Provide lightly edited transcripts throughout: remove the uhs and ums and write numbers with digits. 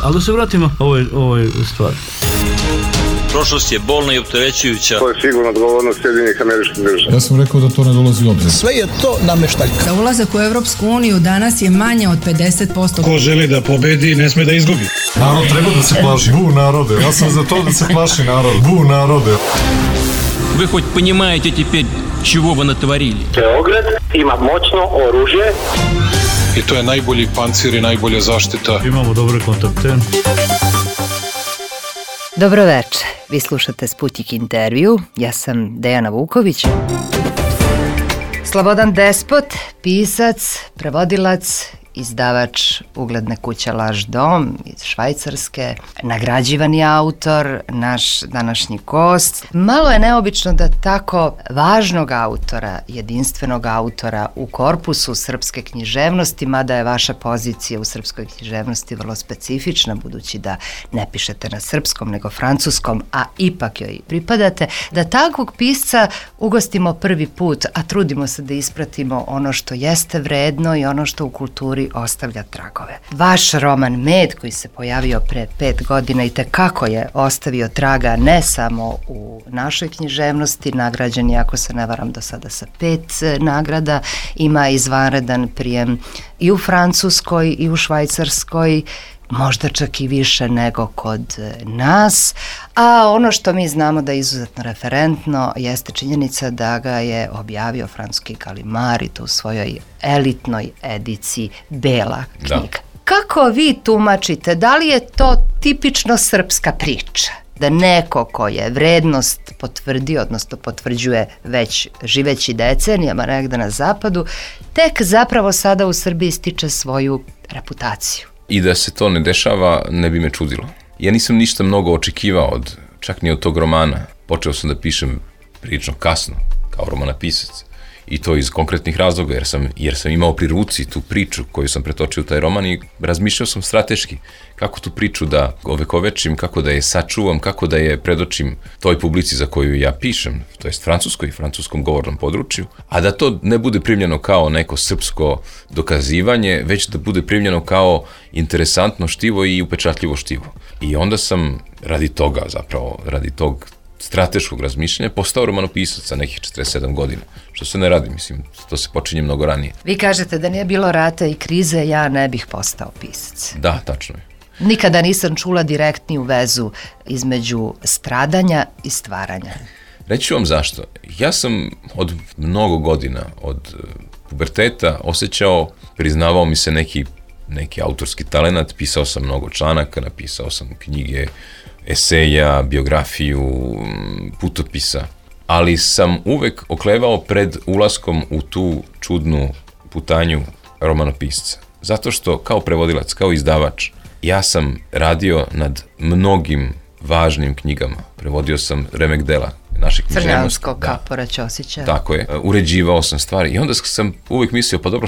Ali da se vratimo ovoj stvari. Prošlost je bolna i opterećujuća. To je sigurno odgovornost Sjedinjenih Američkih Država. Ja sam rekao da to ne dolazi u obzir. Sve je to nameštaljka. Za ulazak u Evropsku uniju danas je manje od 50%. Ko želi da pobedi, ne sme da izgubi. Narod treba da se plaši. Bu narode. Ja sam za to da se plaši narod. Bu narode. Вы хоть понимаете теперь, чего вы натворили? Beograd ima moćno oružje. I to je najbolji pancir i najbolja zaštita. Imamo dobre kontakte. Dobro večer, vi slušate Sputnik intervju, ja sam Dejana Vuković. Slobodan Despot, pisac, prevodilac, izdavač ugledne kuće Laš dom iz Švajcarske, nagrađivani autor, naš današnji gost. Malo je neobično da tako važnog autora, jedinstvenog autora u korpusu srpske književnosti, mada je vaša pozicija u srpskoj književnosti vrlo specifična, budući da ne pišete na srpskom nego francuskom, a ipak joj pripadate, da takvog pisca ugostimo prvi put, a trudimo se da ispratimo ono što jeste vredno i ono što u kulturi ostavlja tragove. Vaš roman Med, koji se pojavio pre 5 godina i tekako je ostavio traga ne samo u našoj književnosti, nagrađen je, ako se ne varam, do sada sa 5 nagrada, ima izvanredan prijem i u Francuskoj i u Švajcarskoj, možda čak i više nego kod nas, a ono što mi znamo da je izuzetno referentno jeste činjenica da ga je objavio francuski Gallimard i to u svojoj elitnoj ediciji Bela knjiga. Da. Kako vi tumačite, da li je to tipično srpska priča? Da neko ko je vrednost potvrdio, odnosno potvrđuje već živeći decenijama negde na zapadu, tek zapravo sada u Srbiji stiče svoju reputaciju? I da se to ne dešava, ne bi me čudilo. Ja nisam ništa mnogo očekivao, čak ni od tog romana. Počeo sam da pišem prilično kasno, kao romanopisac. I to iz konkretnih razloga, jer sam imao pri ruci tu priču koju sam pretočio u taj roman i razmišljao sam strateški kako tu priču da ovekovečim, kako da je sačuvam, kako da je predočim toj publici za koju ja pišem, to jest francuskoj i francuskom govornom području, a da to ne bude primljeno kao neko srpsko dokazivanje, već da bude primljeno kao interesantno štivo i upečatljivo štivo. I onda sam radi tog strateškog razmišljanja postao romanopisac sa nekih 47 godina, što se ne radi, mislim, to se počinje mnogo ranije. Vi kažete da nije bilo rata i krize, ja ne bih postao pisac. Da, tačno je. Nikada nisam čula direktniju vezu između stradanja i stvaranja. Reći ću vam zašto. Ja sam od mnogo godina, od puberteta osjećao, priznavao mi se neki autorski talenat, pisao sam mnogo članaka, napisao sam knjige, eseja, biografiju, putopisa, ali sam uvek oklevao pred ulaskom u tu čudnu putanju romanopisca. Zato što kao prevodilac, kao izdavač, ja sam radio nad mnogim važnim knjigama. Prevodio sam remek dela naših književnosti. Crnjansko, Kapora, Ćosića. Tako je. Uređivao sam stvari i onda sam uvek mislio, pa dobro,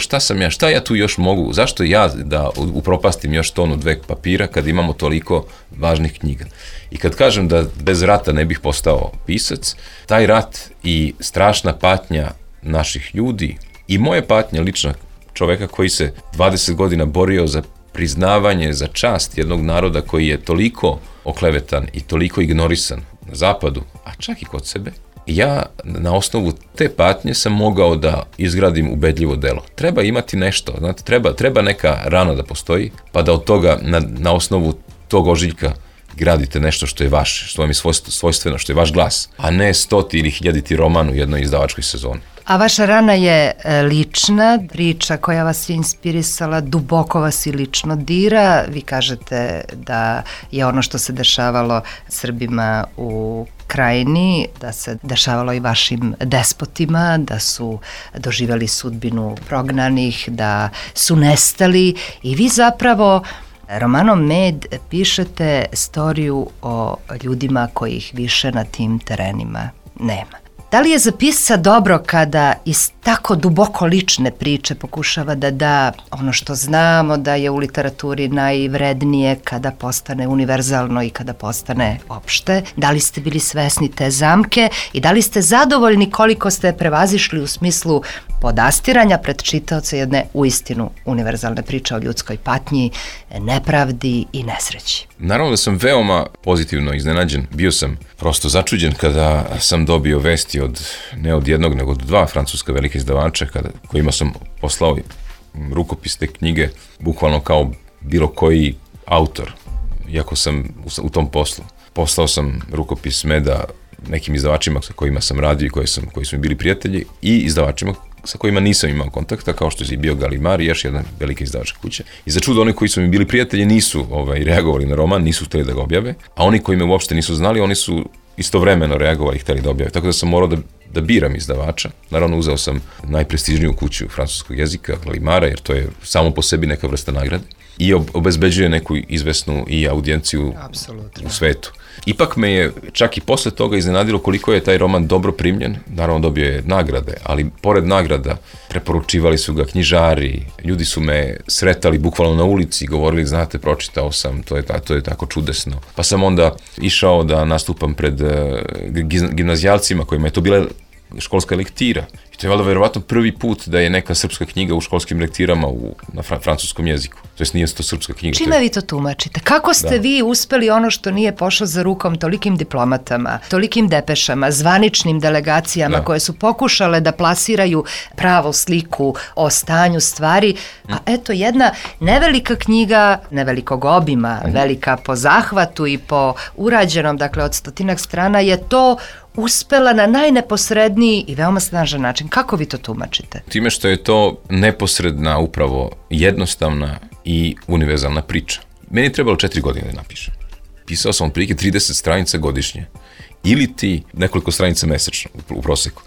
šta ja tu još mogu, zašto ja da upropastim još tonu 2 papira kad imamo toliko važnih knjiga. I kad kažem da bez rata ne bih postao pisac, taj rat i strašna patnja naših ljudi i moje patnja lična čoveka koji se 20 godina borio za priznavanje, za čast jednog naroda koji je toliko oklevetan i toliko ignorisan na zapadu, a čak i kod sebe, ja na osnovu te patnje sam mogao da izgradim ubedljivo delo. Treba imati nešto, znate, treba neka rana da postoji, pa da od toga, na osnovu tog ožiljka gradite nešto što je vaše, što vam je svojstveno, što je vaš glas, a ne 100 ili 1000 roman u jednoj izdavačkoj sezoni. A vaša rana je lična priča koja vas je inspirisala, duboko vas i lično dira. Vi kažete da je ono što se dešavalo Srbima u Krajini, da se dešavalo i vašim despotima, da su doživjeli sudbinu prognanih, da su nestali i vi zapravo romanom Med pišete storiju o ljudima kojih više na tim terenima nema. Da li je za pisca dobro kada iz tako duboko lične priče pokušava da da ono što znamo da je u literaturi najvrednije kada postane univerzalno i kada postane opšte. Da li ste bili svesni te zamke i da li ste zadovoljni koliko ste prevazišli u smislu podastiranja pred čitaoca jedne uistinu univerzalne priče o ljudskoj patnji, nepravdi i nesreći? Naravno da sam veoma pozitivno iznenađen. Bio sam prosto začuđen kada sam dobio vesti ne od jednog, nego od 2 francuska velika izdavača kojima sam poslao rukopis te knjige, bukvalno kao bilo koji autor, iako sam u tom poslu. Poslao sam rukopis Meda nekim izdavačima sa kojima sam radio i koji su mi bili prijatelji i izdavačima sa kojima nisam imao kontakta, kao što je bio Gallimard i još jedna velika izdavačka kuća. I za čudo, oni koji su mi bili prijatelji nisu reagovali na roman, nisu hteli da ga objave, a oni koji me uopšte nisu znali, oni su istovremeno reagovali i hteli da objave. Tako da sam morao da biram izdavača. Naravno, uzeo sam najprestižniju kuću francuskog jezika, Gallimarda, jer to je samo po sebi neka vrsta nagrade i obezbeđuje neku izvesnu i audijenciju u svetu. Ipak me je čak i posle toga iznenadilo koliko je taj roman dobro primljen. Naravno, dobio je nagrade, ali pored nagrada preporučivali su ga knjižari, ljudi su me sretali bukvalno na ulici, govorili, znate, pročitao sam, to je tako čudesno. Pa sam onda išao da nastupam pred gimnazijalcima kojima je to bila školska lektira. I to je valjda verovatno prvi put da je neka srpska knjiga u školskim lektirama na francuskom jeziku. To jest nije to srpska knjiga. Čime vi to tumačite? Kako ste vi uspeli ono što nije pošlo za rukom tolikim diplomatama, tolikim depešama, zvaničnim delegacijama koje su pokušale da plasiraju pravu sliku o stanju stvari, a eto jedna nevelika knjiga, nevelikog obima, velika po zahvatu i po urađenom, dakle od 100 strana, je to uspela na najneposredniji i veoma snažan način. Kako vi to tumačite? Time što je to neposredna, upravo jednostavna i univerzalna priča. Meni je trebalo 4 godine da napišem. Pisao sam otprilike 30 stranica godišnje. Ili ti nekoliko stranica mesečno u proseku.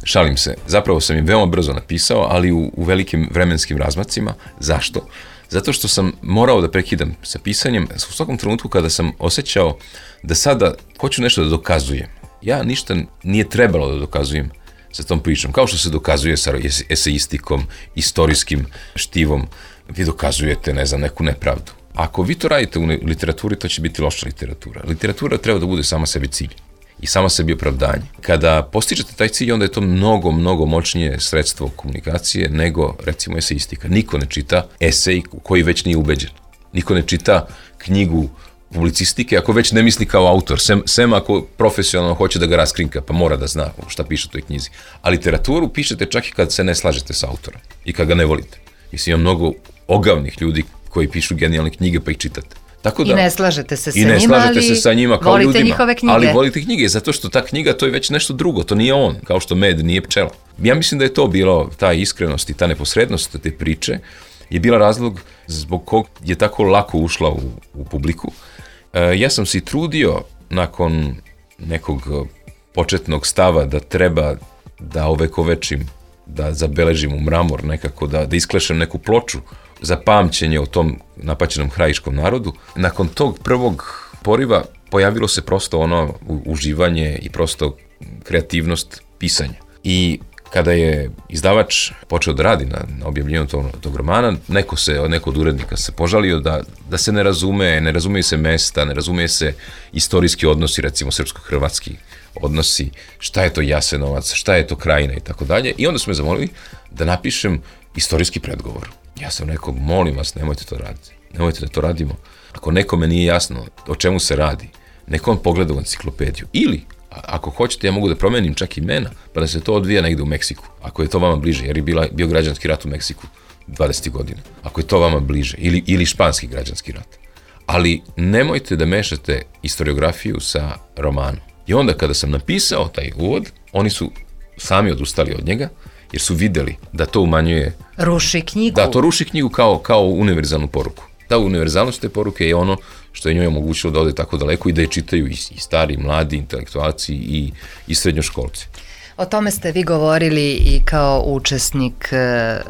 Šalim se. Zapravo sam im veoma brzo napisao, ali u velikim vremenskim razmacima. Zašto? Zato što sam morao da prekidam sa pisanjem u svakom trenutku kada sam osjećao da sada hoću nešto da dokazujem. Ja ništa nije trebalo da dokazujem sa tom pričom, kao što se dokazuje sa eseistikom, istorijskim štivom, vi dokazujete, ne znam, neku nepravdu. Ako vi to radite u literaturi, to će biti loša literatura. Literatura treba da bude sama sebi cilj i sama sebi opravdanje. Kada postižete taj cilj, onda je to mnogo, mnogo moćnije sredstvo komunikacije nego, recimo, eseistika. Niko ne čita esej koji već nije ubeđen. Niko ne čita knjigu publicistike, ako već ne misli kao autor, sem ako profesionalno hoće da ga raskrinka, pa mora da zna šta piše u toj knjizi. A literaturu pišete čak i kad se ne slažete sa autorom i kad ga ne volite. Mislim, ima mnogo ogavnih ljudi koji pišu genijalne knjige pa ih čitate. Tako da, I ne slažete se sa njima, kao volite ljudima, njihove knjige. Ali volite knjige, zato što ta knjiga to je već nešto drugo, to nije on, kao što med nije pčela. Ja mislim da je to bilo, ta iskrenost i ta neposrednost te priče je bila razlog zbog kog je tako lako ušla u publiku. Ja sam se i trudio nakon nekog početnog stava da treba da ovekovečim, da zabeležim u mramor nekako, da isklešem neku ploču za pamćenje o tom napaćenom krajiškom narodu. Nakon tog prvog poriva pojavilo se prosto ono uživanje i prosto kreativnost pisanja. I kada je izdavač počeo da radi na objavljenju tog romana, neko od urednika se požalio da se ne razumeju se mesta, ne razumeju se istorijski odnosi, recimo srpsko-hrvatski odnosi, šta je to Jasenovac, šta je to Krajina i tako dalje. I onda su me zamolili da napišem istorijski predgovor. Ja sam rekao, molim vas, nemojte to raditi. Nemojte da to radimo. Ako nekome nije jasno o čemu se radi, neko on pogleda u enciklopediju. Ili, ako hoćete, ja mogu da promenim čak imena, pa da se to odvija negde u Meksiku. Ako je to vama bliže, jer je bio građanski rat u Meksiku 20. godina. Ako je to vama bliže, ili španski građanski rat. Ali nemojte da mešate historiografiju sa romanom. I onda kada sam napisao taj uvod, oni su sami odustali od njega, jer su videli da to umanjuje... Ruši knjigu. Da, to ruši knjigu kao univerzalnu poruku. Ta univerzalnost te poruke je ono što je njoj omogućilo da ode tako daleko i da je čitaju i stari, i mladi, intelektualci i srednjoškolci. O tome ste vi govorili i kao učesnik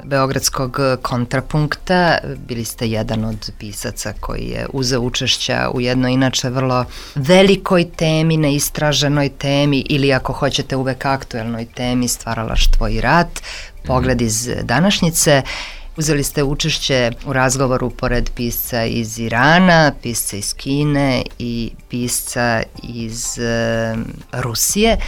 Beogradskog kontrapunkta. Bili ste jedan od pisaca koji je uzeo učešća u jednoj inače vrlo velikoj temi, neistraženoj temi ili ako hoćete uvek aktuelnoj temi stvaralaštvo i rat, pogled iz današnjice. Uzeli ste učešće u razgovoru pored pisca iz Irana, pisca iz Kine i pisca iz Rusije.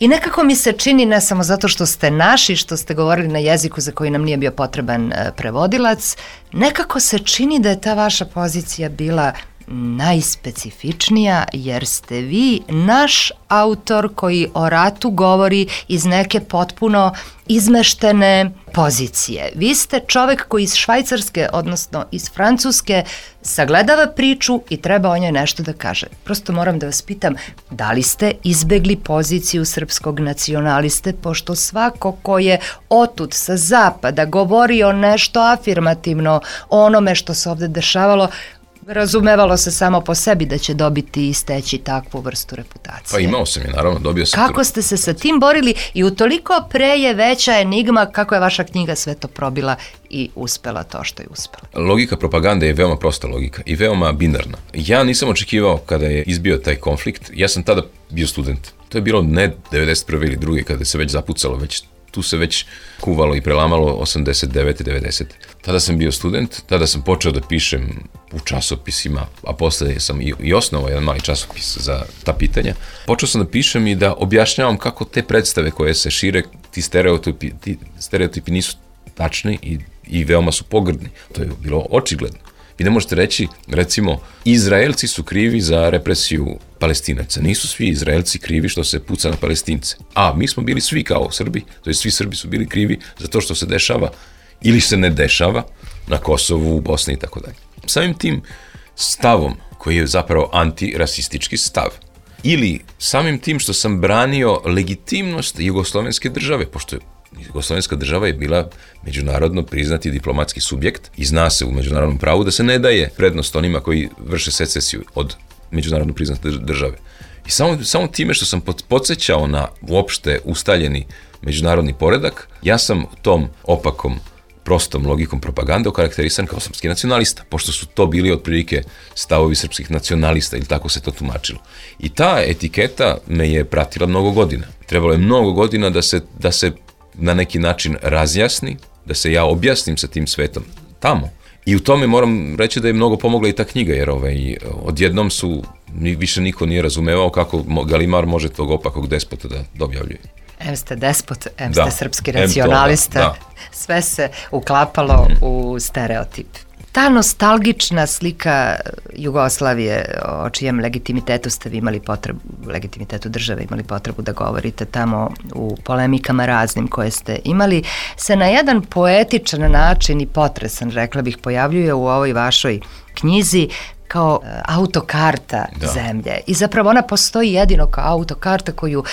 I nekako mi se čini, ne samo zato što ste naši, što ste govorili na jeziku za koji nam nije bio potreban prevodilac, nekako se čini da je ta vaša pozicija bila najspecifičnija, jer ste vi naš autor koji o ratu govori iz neke potpuno izmeštene pozicije. Vi ste čovek koji iz Švajcarske, odnosno iz Francuske, sagledava priču i treba o njoj nešto da kaže. Prosto moram da vas pitam, da li ste izbegli poziciju srpskog nacionaliste, pošto svako ko je otud sa zapada govorio nešto afirmativno o onome što se ovde dešavalo, razumevalo se samo po sebi da će dobiti i steći takvu vrstu reputacije. Pa imao sam je, naravno, dobio sam. Kako ste se sa tim borili i utoliko pre je veća enigma kako je vaša knjiga sve to probila i uspela to što je uspela? Logika propagande je veoma prosta logika i veoma binarna. Ja nisam očekivao kada je izbio taj konflikt, ja sam tada bio student. To je bilo ne 91. ili 2. kada se već zapucalo, tu se već kuvalo i prelamalo 89. 90. Tada sam bio student, tada sam počeo da pišem u časopisima, a posle sam i osnovao jedan mali časopis za ta pitanja. Počeo sam da pišem i da objašnjavam kako te predstave koje se šire, ti stereotipi nisu tačni i veoma su pogrdni. To je bilo očigledno. Vi ne možete reći, recimo, Izraelci su krivi za represiju Palestinaca. Nisu svi Izraelci krivi što se puca na Palestince. A mi smo bili svi kao Srbi, to je svi Srbi su bili krivi za to što se dešava ili se ne dešava na Kosovu, u Bosni i tako dalje. Samim tim stavom, koji je zapravo antirasistički stav, ili samim tim što sam branio legitimnost jugoslovenske države, pošto Jugoslovenska država je bila međunarodno priznati diplomatski subjekt i zna se u međunarodnom pravu da se ne daje prednost onima koji vrše secesiju od međunarodno priznate države. I samo time što sam podsjećao na uopšte ustaljeni međunarodni poredak, ja sam tom opakom, prostom logikom propagande okarakterisan kao srpski nacionalista, pošto su to bili otprilike stavovi srpskih nacionalista ili tako se to tumačilo. I ta etiketa me je pratila mnogo godina. Trebalo je mnogo godina da se na neki način razjasni, da se ja objasnim sa tim svetom tamo. I u tome moram reći da je mnogo pomogla i ta knjiga, jer odjednom više niko nije razumevao kako Galimar može tog opakog despota da objavljuje. Em ste despot, em ste srpski racionalista, sve se uklapalo u stereotip. Ta nostalgična slika Jugoslavije, o čijem legitimitetu ste vi imali potrebu, legitimitetu države imali potrebu da govorite tamo u polemikama raznim koje ste imali, se na jedan poetičan način i potresan, rekla bih, pojavljuje u ovoj vašoj knjizi kao autokarta zemlje. I zapravo ona postoji jedino kao autokarta koju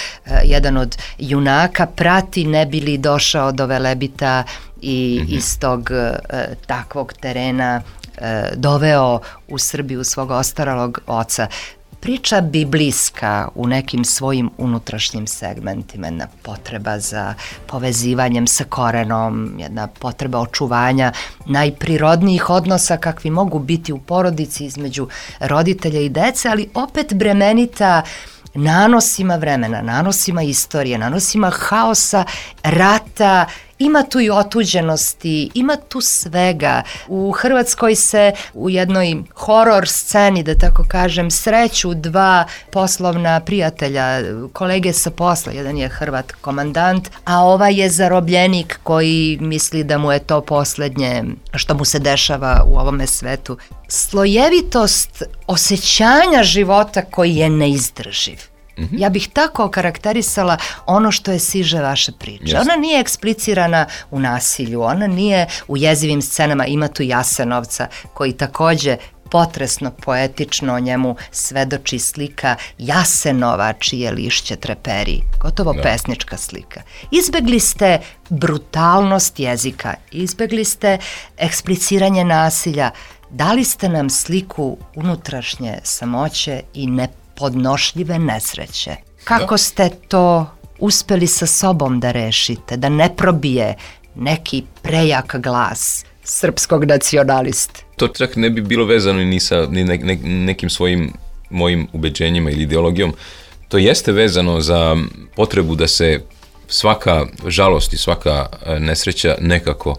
jedan od junaka prati ne bi li došao do Velebita i iz tog takvog terena doveo u Srbiju svog ostaralog oca. Priča biblijska u nekim svojim unutrašnjim segmentima, jedna potreba za povezivanjem sa korenom, jedna potreba očuvanja najprirodnijih odnosa kakvi mogu biti u porodici između roditelja i dece, ali opet bremenita nanosima vremena, nanosima istorije, nanosima haosa, rata. Ima tu i otuđenosti, ima tu svega. U Hrvatskoj se u jednoj horor sceni, da tako kažem, sreću dva poslovna prijatelja, kolege sa posla. Jedan je Hrvat komandant, a ovaj je zarobljenik koji misli da mu je to poslednje što mu se dešava u ovome svetu. Slojevitost osjećanja života koji je neizdrživ. Ja bih tako okarakterisala ono što je siže vaše priče. Ona nije eksplicirana u nasilju, ona nije u jezivim scenama, ima tu Jasenovca koji takođe potresno, poetično o njemu svedoči slika Jasenova čije lišće treperi, gotovo pesnička slika. Izbegli ste brutalnost jezika, izbegli ste ekspliciranje nasilja, dali ste nam sliku unutrašnje samoće i nepodnošljive nesreće. Kako ste to uspeli sa sobom da rešite, da ne probije neki prejak glas srpskog nacionaliste? To čak ne bi bilo vezano ni sa nekim svojim mojim ubeđenjima ili ideologijom. To jeste vezano za potrebu da se svaka žalost i svaka nesreća nekako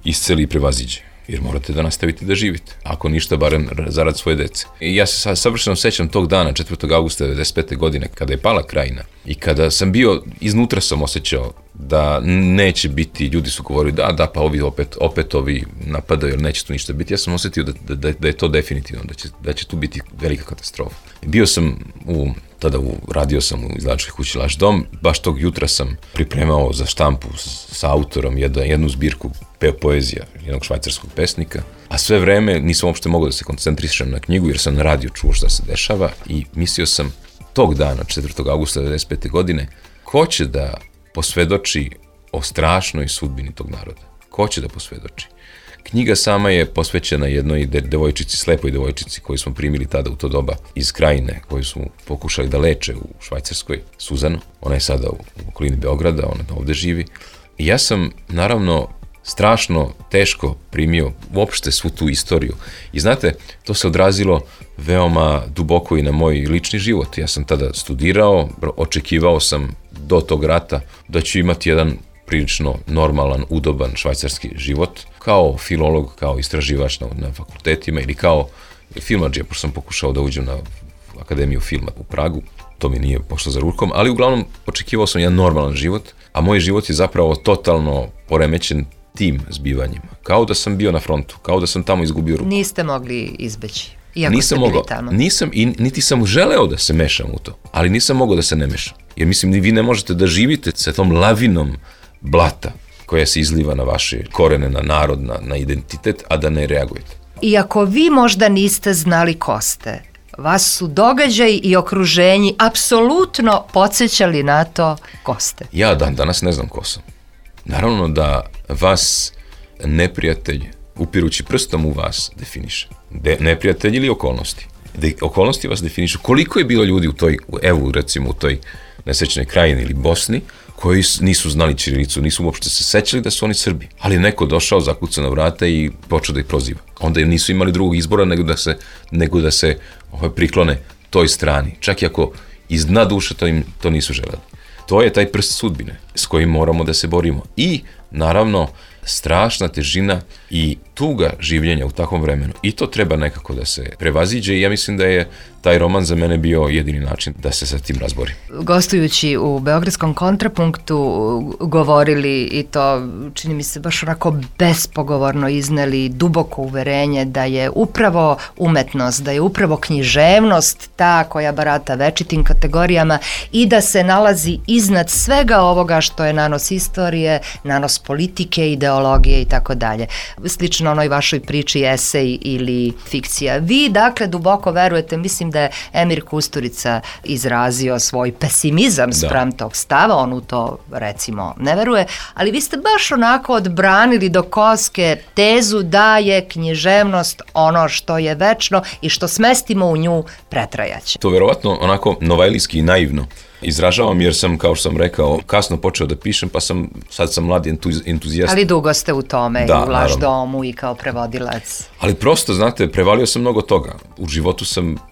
isceli i prevaziđe. Jer morate da nastavite da živite. Ako ništa, barem zarad svoje dece. I ja se savršeno sećam tog dana, 4. augusta 1995. godine, kada je pala Krajina i kada sam bio, iznutra sam osjećao da neće biti, ljudi su govorili da, pa ovi opet ovi napadaju, jer neće tu ništa biti. Ja sam osjetio da je to definitivno, da će tu biti velika katastrofa. Bio sam radio sam u izdavačkoj kući Laš dom, baš tog jutra sam pripremao za štampu sa autorom jednu zbirku poezija jednog švajcarskog pesnika, a sve vreme nisam uopšte mogao da se koncentrišem na knjigu jer sam na radiju čuo šta se dešava i mislio sam tog dana, 4. augusta 1995. godine, ko će da posvedoči o strašnoj sudbini tog naroda? Ko će da posvedoči? Knjiga sama je posvećena jednoj devojčici, slepoj devojčici koju smo primili tada u to doba iz Krajine, koju su pokušali da leče u Švajcarskoj, Suzanu. Ona je sada u okolini Beograda, ona ovde živi. I ja sam, naravno, strašno teško primio uopšte svu tu istoriju. I znate, to se odrazilo veoma duboko i na moj lični život. Ja sam tada studirao, očekivao sam do tog rata da ću imati jedan prilično normalan, udoban švajcarski život, kao filolog, kao istraživač na fakultetima ili kao filmadžija, pošto sam pokušao da uđem na Akademiju filma u Pragu. To mi nije pošlo za rukom, ali uglavnom očekivao sam jedan normalan život, a moj život je zapravo totalno poremećen tim zbivanjima. Kao da sam bio na frontu, kao da sam tamo izgubio ruku. Niste mogli izbeći, iako ste bili tamo. Nisam i niti sam želeo da se mešam u to, ali nisam mogao da se ne mešam. Jer mislim, vi ne možete da živite sa tom lavinom blata koja se izliva na vaše korene, na narod, na identitet, a da ne reagujete. Iako vi možda niste znali ko ste, vas su događaji i okruženji apsolutno podsjećali na to ko ste. Ja danas ne znam ko sam. Naravno da vas neprijatelj, upirući prstom u vas, definiše. Neprijatelj ili okolnosti. Okolnosti vas definišu. Koliko je bilo ljudi u toj, evo recimo u toj nesrećnoj Krajini ili Bosni, koji nisu znali ćirilicu, nisu uopšte se sećali da su oni Srbi. Ali neko došao, zakucao na vrata i počeo da ih proziva. Onda nisu imali drugog izbora nego da se priklone toj strani. Čak i ako iz dna duše to nisu želeli. To je taj prst sudbine s kojim moramo da se borimo. I, naravno, strašna težina i tuga življenja u takvom vremenu. I to treba nekako da se prevaziđe i ja mislim da je taj roman za mene bio jedini način da se sa tim razborim. Gostujući u Beogradskom kontrapunktu govorili i to, čini mi se, baš onako bespogovorno izneli duboko uverenje da je upravo umetnost, da je upravo književnost ta koja barata večitim kategorijama i da se nalazi iznad svega ovoga što je nanos istorije, nanos politike, ideologije i tako dalje. Slično onoj vašoj priči esej ili fikcija. Vi, dakle, duboko verujete, mislim da je Emir Kusturica izrazio svoj pesimizam spram tog stava, on u to, recimo, ne veruje, ali vi ste baš onako odbranili do koske tezu da je književnost ono što je večno i što smestimo u nju pretrajaće. To verovatno onako novajlijski i naivno izražavam jer sam, kao što sam rekao, kasno počeo da pišem, pa sad sam mladi entuzijast. Ali dugo ste u tome, i u Laš domu i kao prevodilac. Ali prosto, znate, prevalio sam mnogo toga. U životu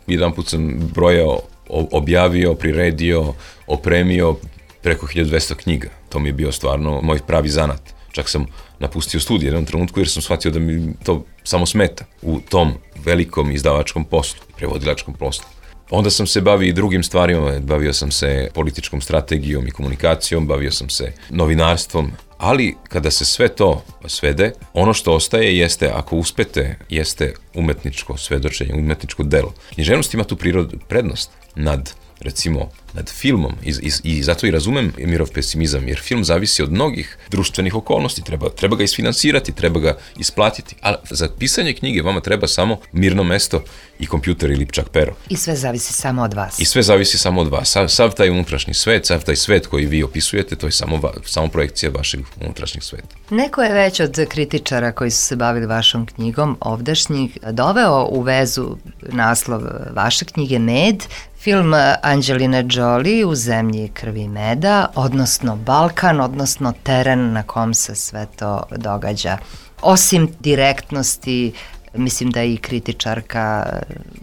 jedan put sam brojao, objavio, priredio, opremio preko 1200 knjiga. To mi je bio stvarno moj pravi zanat. Čak sam napustio studij u jednom trenutku jer sam shvatio da mi to samo smeta u tom velikom izdavačkom poslu, prevodilačkom poslu. Onda sam se bavio i drugim stvarima, bavio sam se političkom strategijom i komunikacijom, bavio sam se novinarstvom, ali kada se sve to svede, ono što ostaje jeste, ako uspete, jeste umetničko svedočenje, umetničko delo. Književnost ima tu prednost nad filmom i zato i razumem Emirov pesimizam, jer film zavisi od mnogih društvenih okolnosti, treba ga isfinansirati, treba ga isplatiti, ali za pisanje knjige vama treba samo mirno mesto i kompjuter ili čak pero. I sve zavisi samo od vas. I sve zavisi samo od vas. Sav taj unutrašnji svet, sav taj svet koji vi opisujete, to je samo projekcija vašeg unutrašnjeg sveta. Neko je već od kritičara koji su se bavili vašom knjigom ovdašnjih doveo u vezu naslov vaše knjige Med, Film Anđeline Jolie U zemlji krvi i meda, odnosno Balkan, odnosno teren na kom se sve to događa. Osim direktnosti, mislim da i kritičarka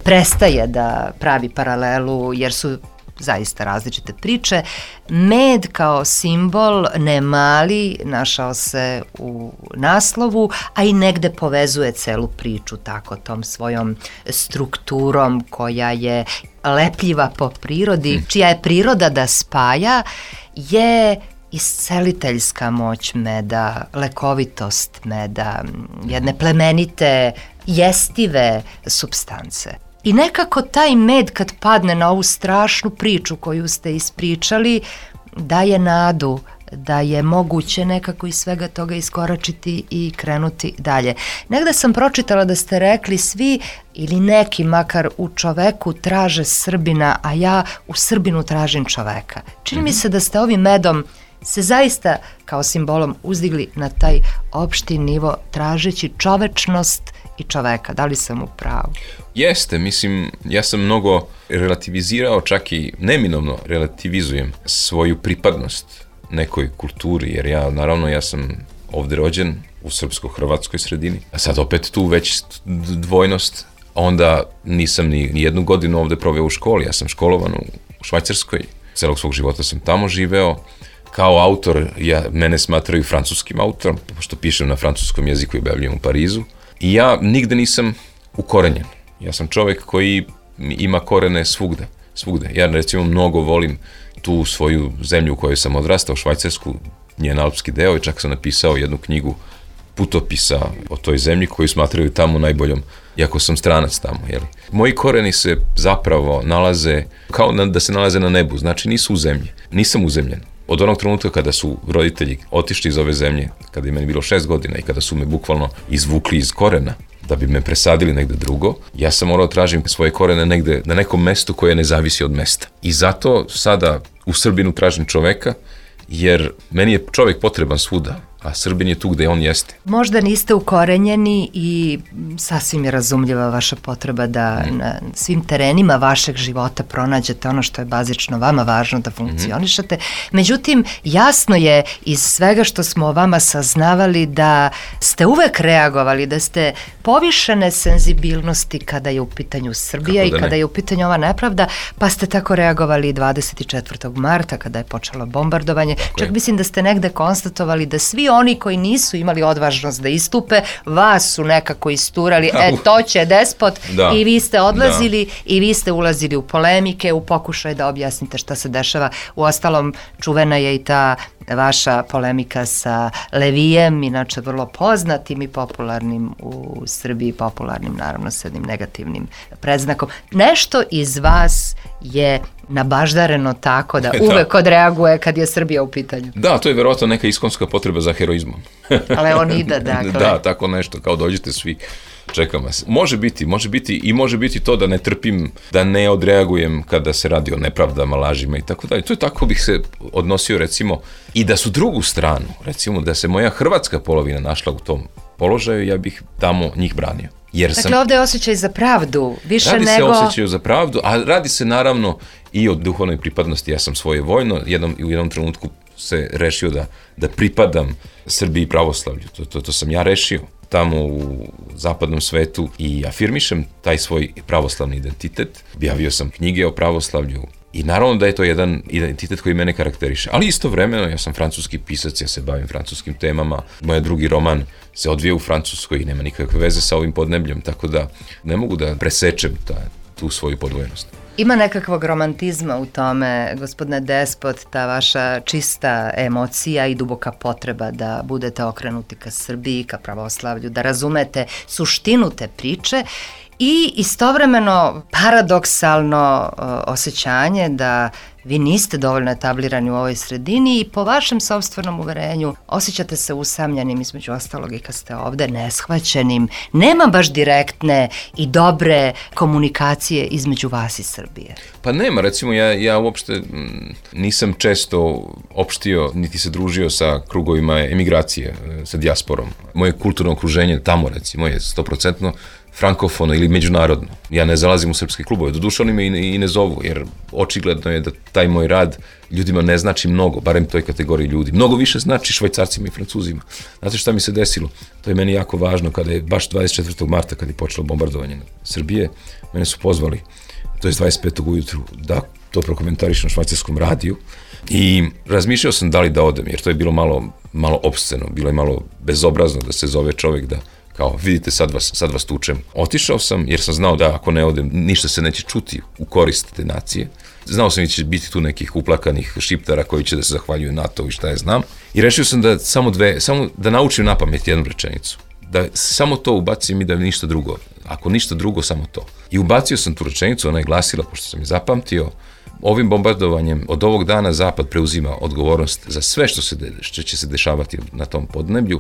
prestaje da pravi paralelu, jer su zaista različite priče. Med kao simbol, ne mali, našao se u naslovu, a i negde povezuje celu priču tako tom svojom strukturom koja je lepljiva po prirodi, čija je priroda da spaja, je isceliteljska moć meda, lekovitost meda, jedne plemenite, jestive supstance. I nekako taj med kad padne na ovu strašnu priču koju ste ispričali, daje nadu da je moguće nekako iz svega toga iskoračiti i krenuti dalje. Negde sam pročitala da ste rekli svi ili neki makar u čoveku traže Srbina, a ja u Srbinu tražim čoveka. Čini mi se da ste ovim medom se zaista kao simbolom uzdigli na taj opšti nivo tražeći čovečnost i čoveka. Da li sam u pravu? Jeste, mislim, ja sam mnogo relativizirao, čak i neminovno relativizujem svoju pripadnost nekoj kulturi, jer ja sam ovde rođen u srpsko-hrvatskoj sredini, a sad opet tu već dvojnost, onda nisam ni jednu godinu ovde proveo u školi, ja sam školovan u Švajcarskoj, celog svog života sam tamo živeo. Kao autor, mene smatraju francuskim autorom, pošto pišem na francuskom jeziku i objavljujem u Parizu. I ja nigde nisam ukorenjen. Ja sam čovek koji ima korene svugde. Ja recimo mnogo volim tu svoju zemlju u kojoj sam odrastao, Švajcarsku, njen alpski deo, i čak sam napisao jednu knjigu putopisa o toj zemlji koju smatraju tamo najboljom, iako sam stranac tamo. Jeli? Moji koreni se zapravo nalaze kao da se nalaze na nebu, znači nisu u zemlji. Nisam uzemljen. Od onog trenutka kada su roditelji otišli iz ove zemlje, kada je meni bilo 6 godina i kada su me bukvalno izvukli iz korena da bi me presadili negde drugo, ja sam morao tražim svoje korene negde na nekom mestu koje ne zavisi od mesta. I zato sada u Srbinu tražim čoveka, jer meni je čovek potreban svuda, a Srbin je tu gde on jeste. Možda niste ukorenjeni i sasvim je razumljiva vaša potreba da na svim terenima vašeg života pronađete ono što je bazično vama važno da funkcionišete. Međutim, jasno je iz svega što smo o vama saznavali da ste uvek reagovali, da ste povišene senzibilnosti kada je u pitanju Srbija i kada je u pitanju ova nepravda, pa ste tako reagovali 24. marta kada je počelo bombardovanje. Čak mislim da ste negde konstatovali da svi oni koji nisu imali odvažnost da istupe, vas su nekako isturali, to će despot, i vi ste odlazili i vi ste ulazili u polemike, u pokušaj da objasnite šta se dešava. Uostalom, čuvena je i ta vaša polemika sa Levijem, inače vrlo poznatim i popularnim u Srbiji, popularnim naravno s jednim negativnim predznakom. Nešto iz vas je nabaždareno tako da uvek odreaguje kad je Srbija u pitanju. Da, to je verovatno neka iskonska potreba za heroizmom. Leonida, dakle. Da, tako nešto, kao dođite svi, čekam vas. Može biti to da ne trpim, da ne odreagujem kada se radi o nepravdama, lažima i tako dalje. To je tako bih se odnosio recimo i da su drugu stranu, recimo da se moja hrvatska polovina našla u tom položaju, ja bih tamo njih branio. Dakle, ovde je osjećaj za pravdu, više nego... Radi se o osjećaju za pravdu, a radi se naravno i o duhovnoj pripadnosti. Ja sam svojevojno u jednom trenutku se rešio da pripadam Srbiji i pravoslavlju. To sam ja rešio tamo u zapadnom svetu i afirmišem taj svoj pravoslavni identitet. Objavio sam knjige o pravoslavlju i naravno da je to jedan identitet koji mene karakteriše. Ali istovremeno ja sam francuski pisac, ja se bavim francuskim temama. Moj drugi roman se odvija u Francuskoj i nema nikakve veze sa ovim podnebljem, tako da ne mogu da presečem tu svoju podvojenost. Ima nekakvog romantizma u tome, gospodine Despot, ta vaša čista emocija i duboka potreba da budete okrenuti ka Srbiji, ka pravoslavlju, da razumete suštinu te priče i istovremeno paradoksalno osjećanje da vi niste dovoljno etablirani u ovoj sredini i po vašem sopstvenom uverenju osjećate se usamljenim, između ostalog i kad ste ovde, neshvaćenim. Nema baš direktne i dobre komunikacije između vas i Srbije. Pa nema, recimo ja uopšte nisam često opštio niti se družio sa krugovima emigracije, sa dijasporom. Moje kulturno okruženje tamo recimo je 100% frankofono ili međunarodno. Ja ne zalazim u srpske klubove, doduše oni me i ne zovu, jer očigledno je da taj moj rad ljudima ne znači mnogo, barem toj kategoriji ljudi. Mnogo više znači Švajcarcima i Francuzima. Znate šta mi se desilo? To je meni jako važno kada je baš 24. marta, kad je počelo bombardovanje Srbije, mene su pozvali, to je 25. ujutru, da to prokomentariš na švajcarskom radiju i razmišljao sam da li da odem, jer to je bilo malo opsceno, bilo je malo bezobrazno da se zove čovjek da kao, vidite, sad vas tučem. Otišao sam jer sam znao da ako ne odem, ništa se neće čuti u korist te nacije. Znao sam da će biti tu nekih uplakanih šiptara koji će da se zahvaljuju NATO i šta je znam. I rešio sam da samo da naučim na pamet jednu rečenicu. Da samo to ubacim i da ništa drugo. Ako ništa drugo, samo to. I ubacio sam tu rečenicu, ona je glasila, pošto sam je zapamtio, ovim bombardovanjem od ovog dana Zapad preuzima odgovornost za sve što će se dešavati na tom podneblju,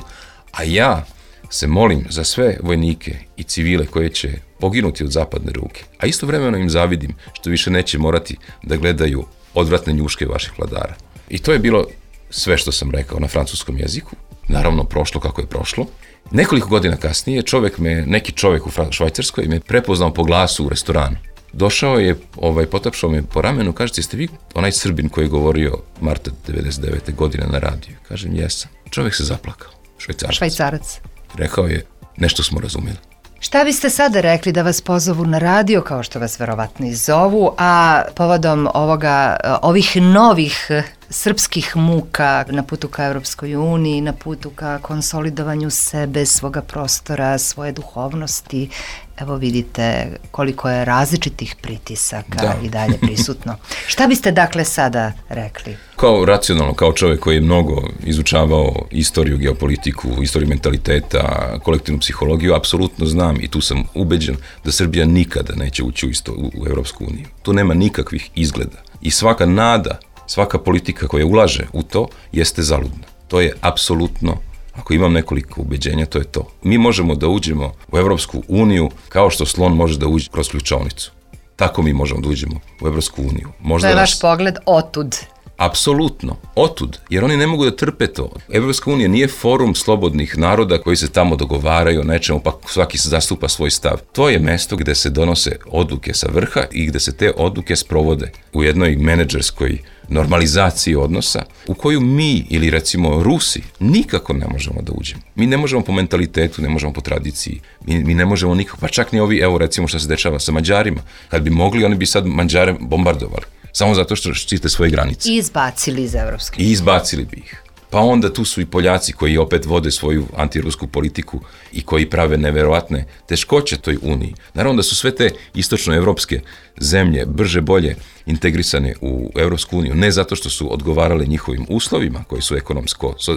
a ja se molim za sve vojnike i civile koje će poginuti od zapadne ruke, a istovremeno im zavidim što više neće morati da gledaju odvratne njuške vaših vladara. I to je bilo sve što sam rekao na francuskom jeziku. Naravno, prošlo kako je prošlo. Nekoliko godina kasnije neki čovjek u Švajcarskoj me prepoznao po glasu u restoranu. Došao je, potapšao me po ramenu, kaže, jeste vi onaj Srbin koji je govorio marta 99. godine na radiju? Kažem, jesam. Čovjek se zaplakao. Švajcarac. Rekao je, nešto smo razumjeli. Šta biste sada rekli da vas pozovu na radio, kao što vas verovatno i zovu, a povodom ovih novih srpskih muka na putu ka Evropskoj uniji, na putu ka konsolidovanju sebe, svoga prostora, svoje duhovnosti? Evo vidite koliko je različitih pritisaka i dalje prisutno. Šta biste dakle sada rekli? Kao racionalno, kao čovjek koji je mnogo izučavao istoriju, geopolitiku, istoriju mentaliteta, kolektivnu psihologiju, apsolutno znam i tu sam ubeđen da Srbija nikada neće ući u Evropsku uniju. Tu nema nikakvih izgleda. I svaka nada, svaka politika koja ulaže u to jeste zaludna. To je apsolutno, ako imam nekoliko ubeđenja, to je to. Mi možemo da uđemo u Evropsku uniju kao što slon može da uđe kroz ključavnicu. Tako mi možemo da uđemo u Evropsku uniju. To je vaš pogled otud. Apsolutno, otud, jer oni ne mogu da trpe to. Evropska unija nije forum slobodnih naroda koji se tamo dogovaraju o nečemu, pa svaki se zastupa svoj stav. To je mesto gde se donose odluke sa vrha i gde se te odluke sprovode u jednoj menadžerskoj normalizaciji odnosa u koju mi ili recimo Rusi nikako ne možemo da uđemo. Mi ne možemo po mentalitetu, ne možemo po tradiciji, mi ne možemo nikako, pa čak ni ovi, evo recimo što se dešava sa Mađarima. Kad bi mogli, oni bi sad Mađare bombardovali. Samo zato što štite svoje granice. I izbacili iz Evropske unije. I izbacili bi ih. Pa onda tu su i Poljaci koji opet vode svoju antirusku politiku i koji prave neverovatne teškoće toj uniji. Naravno da su sve te istočnoevropske zemlje brže bolje integrisane u Evropsku uniju, ne zato što su odgovarale njihovim uslovima koji su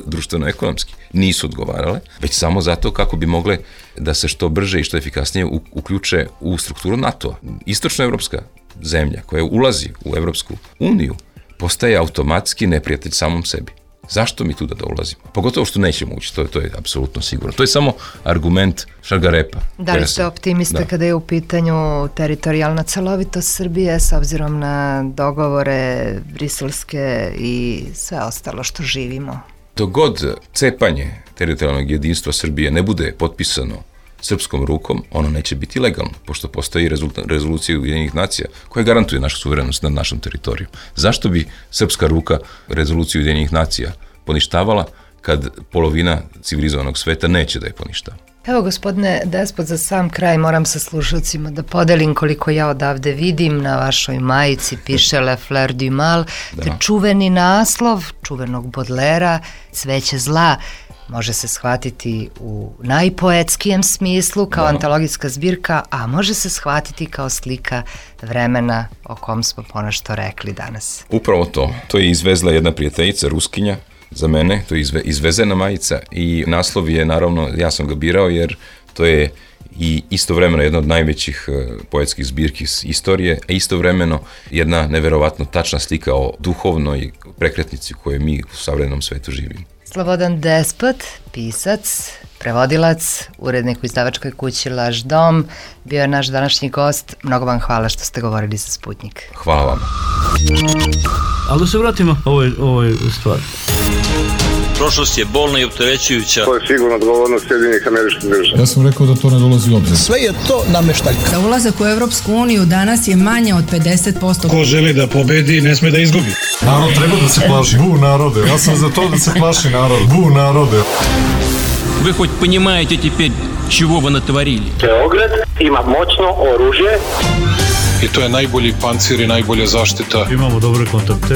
društveno-ekonomski, nisu odgovarale, već samo zato kako bi mogle da se što brže i što efikasnije uključe u strukturu NATO-a. Istočnoevropska zemlja koja ulazi u Evropsku uniju postaje automatski neprijatelj samom sebi. Zašto mi tu da ulazimo? Pogotovo što nećemo ući, to je apsolutno sigurno. To je samo argument šargarepa. Da li ste optimista kada je u pitanju teritorijalna celovitost Srbije s obzirom na dogovore briselske i sve ostalo što živimo? Dok god cepanje teritorijalnog jedinstva Srbije ne bude potpisano srpskom rukom, ono neće biti legalno, pošto postoji rezolucija Ujedinjenih nacija koja garantuje našu suverenost nad našom teritorijom. Zašto bi srpska ruka rezoluciju Ujedinjenih nacija poništavala kad polovina civilizovanog sveta neće da je poništava? Evo, gospodine Despot, za sam kraj moram sa slušalcima da podelim koliko ja odavde vidim. Na vašoj majici piše Le Fleur du Mal, te čuveni naslov čuvenog Bodlera, Cveće zla. Može se shvatiti u najpoetskijem smislu, kao antologijska zbirka, a može se shvatiti kao slika vremena o kom smo ponešto rekli danas. Upravo to. To je izvezla jedna prijateljica, Ruskinja, za mene, to je izvezena majica i naslov je, naravno, ja sam ga birao jer to je i istovremeno jedna od najvećih poetskih zbirki iz istorije, a istovremeno jedna neverovatno tačna slika o duhovnoj prekretnici u kojoj mi u savremenom svetu živimo. Slobodan Despot, pisac, prevodilac, urednik u izdavačkoj kući Laž dom, bio je naš današnji gost. Mnogo vam hvala što ste govorili za Sputnjik. Hvala vam. Ali da se vratimo ovoj stvari. Prošlost je bolna i opterećujuća. To je sigurno odgovornost Sjedinjenih Američkih Država. Ja sam rekao da to ne dolazi u obzir. Sve je to nameštaljka. Za ulazak u Europsku uniju danas je manje od 50%. Ko želi da pobedi, ne sme da izgubi. Narod treba da se plaši. Bu narode. Ja sam za to da se plaši narod. Bu narode. Вы хоть понимаете теперь, чего вы натворили? Beograd ima moćno oružje. I to je najbolji pancir i najbolja zaštita. Imamo dobre kontakte.